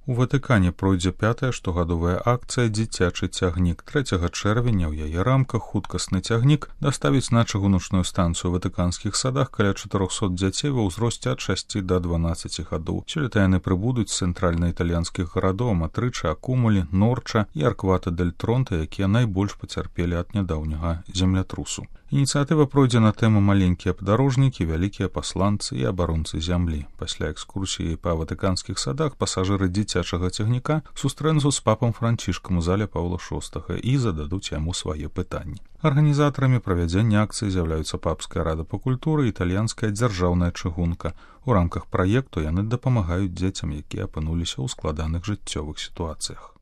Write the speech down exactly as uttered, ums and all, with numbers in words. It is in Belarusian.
У Ватыкане пройдзе пятая штогадовая акцыя «Дзіцячы цягнік». трэцяга чэрвеня ў яе рамках хуткасны цягнік даставіць на чыгуначную станцыю ў ватыканскіх садах каля чатырохсот дзяцей ва ўзросце ад шасці да дванаццаці гадоў. Сёлета яны прыбудуць з цэнтральна-італьянскіх гарадоў Матрыча, Акумулі, Норча і Арквата-дель-Тронта, якія найбольш пацярпелі ад нядаўняга землятрусу. Ініцыятыва пройдзе на тэму «Маленькія падарожнікі, вялікія пасланцы і абаронцы зямлі». Пасля экскурсіі па ватыканскіх садах пасажыры дзіцячага цягніка сустрэнуцца з папам Францішкам у зале Паўла шостага і зададуць яму свае пытанні. Арганізатарамі правядзення акцыі з'яўляюцца Папская рада па культуры і італьянская дзяржаўная чыгунка. У рамках праекту яны дапамагаюць дзецям, якія апынуліся ў складаных жыццёвых сітуацыях.